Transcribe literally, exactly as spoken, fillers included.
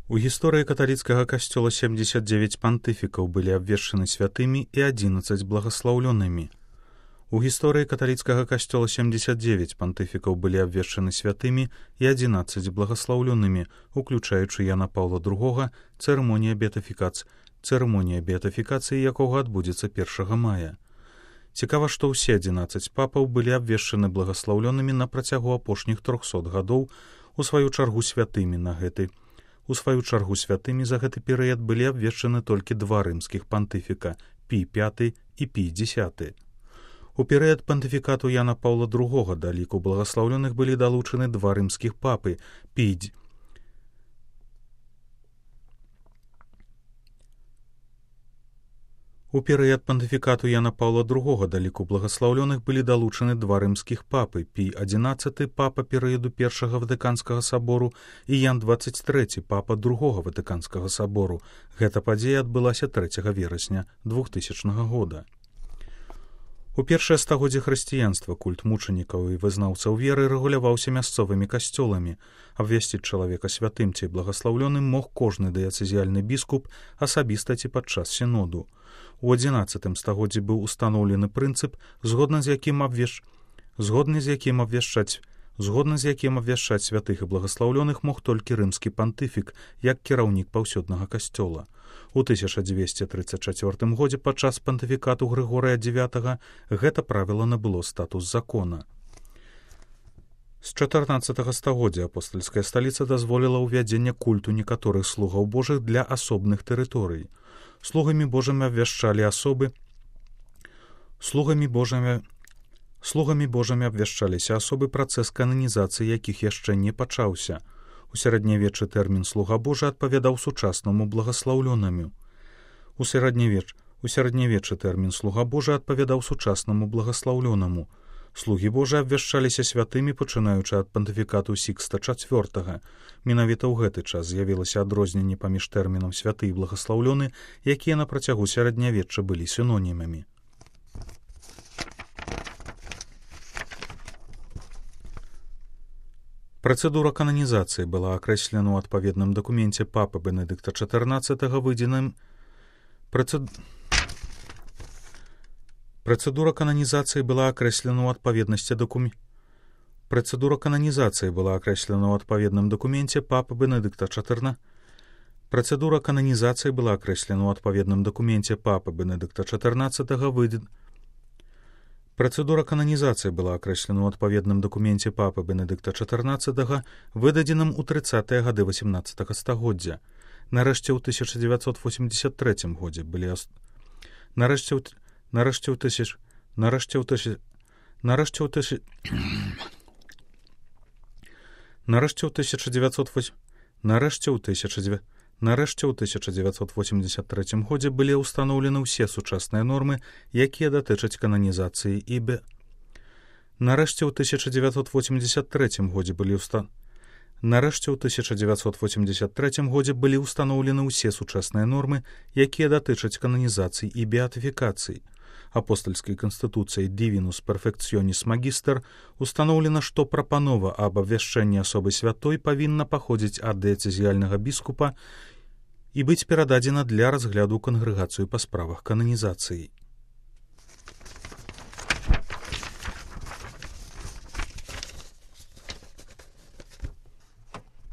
У гісторыі каталіцкага касцёла семьдесят девять пантыфікаў былі абвешчаны святымі і одиннадцать благаслаўлёнымі. У гісторыі каталіцкага касцёла семьдесят девять пантыфікаў былі абвешчаны святымі і одиннадцать благаслаўлёнымі, уключаючы Яна Паўла другога, цырымонія беатыфікацыі, цырымонія беатыфікацыі якога адбудзецца першага мая. Цікава, што ўсе одиннадцать папаў былі абвешчаны благаслаўлёнымі на працягу апошніх трохсот гадоў, у сваю чаргу святымі на гэты У сваю чаргу святымі за гэты перыяд былі абвешчаны толькі два рымскіх пантыфіка – Пій пяты і Пій дзесяты. У перыяд пантыфікату Яна Паўла другога да ліку благаслаўлёных былі далучаны два рымскіх папы – Пій У перыяд пантыфікату Яна Паўла другога да ліку благаслаўлёных былі далучаны два рымскіх папы – Пій адзінаццаты, папа перыяду першага Ватыканскага сабору, і Ян дваццаць трэці, папа другога Ватыканскага сабору. Гэта падзея адбылася трэцяга верасня двухтысячнага года. У першае стагоддзе хрысціянства культ мучанікаў і вызнаўцаў веры рэгуляваўся мясцовымі касцёламі. Абвясціць чалавека святым ці благаслаўлёным мог кожны дыяцэзіяльны біскуп асабіста ці падчас сіноду. У адзінаццатым стагоддзі быў устаноўлены прынцып, згодна з якім абвеш... згодны з якім абвяшчаць згодна з якім абвяшчаць святых і благаслаўлёных мог толькі рымскі пантыфік, як кіраўнік паўсюднага касцёла. У тысяча дзвесце трыццаць чацвёртым годзе падчас пантыфікату Грыгорыя дзевятага гэта правіла набыло статус закона. З чатырнаццатага стагоддзя апостальская сталіца дазволіла ўвядзенне культу некаторых слугаў Божых для асобных тэрыторый. Слугамі Божымі абвяшчалі асобы слугамі Божымі слугамі Божымі абвяшчаліся асобы, працэс кананізацыі якіх яшчэ не пачаўся. У сярэднявеччы тэрмін слуга Божы адпавядаў сучаснаму благаслаўлёнаму. У сярэднявеч у сярэднявеччы тэрмін слуга Божы адпавядаў сучаснаму благаслаўлёнаму. Слугі Божы абвяшчаліся святымі, пачынаючы ад пантыфікату Сікста чацвёртага. Менавіта ў гэты час з'явілася адрозненне паміж тэрмінам святы і благаслаўлёны, якія на працягу сярэднявечча былі сінонімамі. Працэдура кананізацыі была акрэслена ў адпаведным дакуменце папы Бенедыкта чатырнаццатага выдзеным Працэд... Працэдура кананізацыі была акрэслена ў адпаведнасці дакумент. Працэдура кананізацыі была акрэслена ў адпаведным дакуменце папы Бенедыкта чатырнаццатага. Працэдура кананізацыі была акрэслена ў адпаведным дакуменце папы Бенедыкта чатырнаццатага выдзен. Працэдура кананізацыі была акрэслена ў адпаведным дакуменце папы Бенедыкта чатырнаццатага, выдадзеным у трыццатыя гады васемнаццатага стагоддзя. Нарэшце ў тысяча дзевяцьсот восемьдесят трэцім годзе былі ас... Нарэшце ў Нарэшце ў тысяч... Нарэшце ў тысяч... Нарэшце ў тысяч... Нарэшце ў тысяча дзевяцьсот восемь... Нарэшце ў тысяча дзевяць... Нарэшце ў тысяча дзевяцьсот восемьдесят трэцім годзе былі ўстаноўлены ўсе сучасныя нормы, якія датычаць кананізацыі і бе... Нарэшце ў тысяча дзевяцьсот восемьдесят трэцім годзе былі ўста... Нарэшце ў тысяча дзевяцьсот восемьдесят трэцім годзе былі ўстаноўлены ўсе сучасныя нормы, якія датычаць кананізацыі і беатыфікацыі. Апостальскай канстытуцыяй Divinus Perfectionis Magister устаноўлена, што прапанова аб абвяшчэнні асобы святой павінна паходзіць ад дыяцэзіяльнага біскупа і быць перададзена для разгляду ў кангрэгацыю па справах кананізацыі.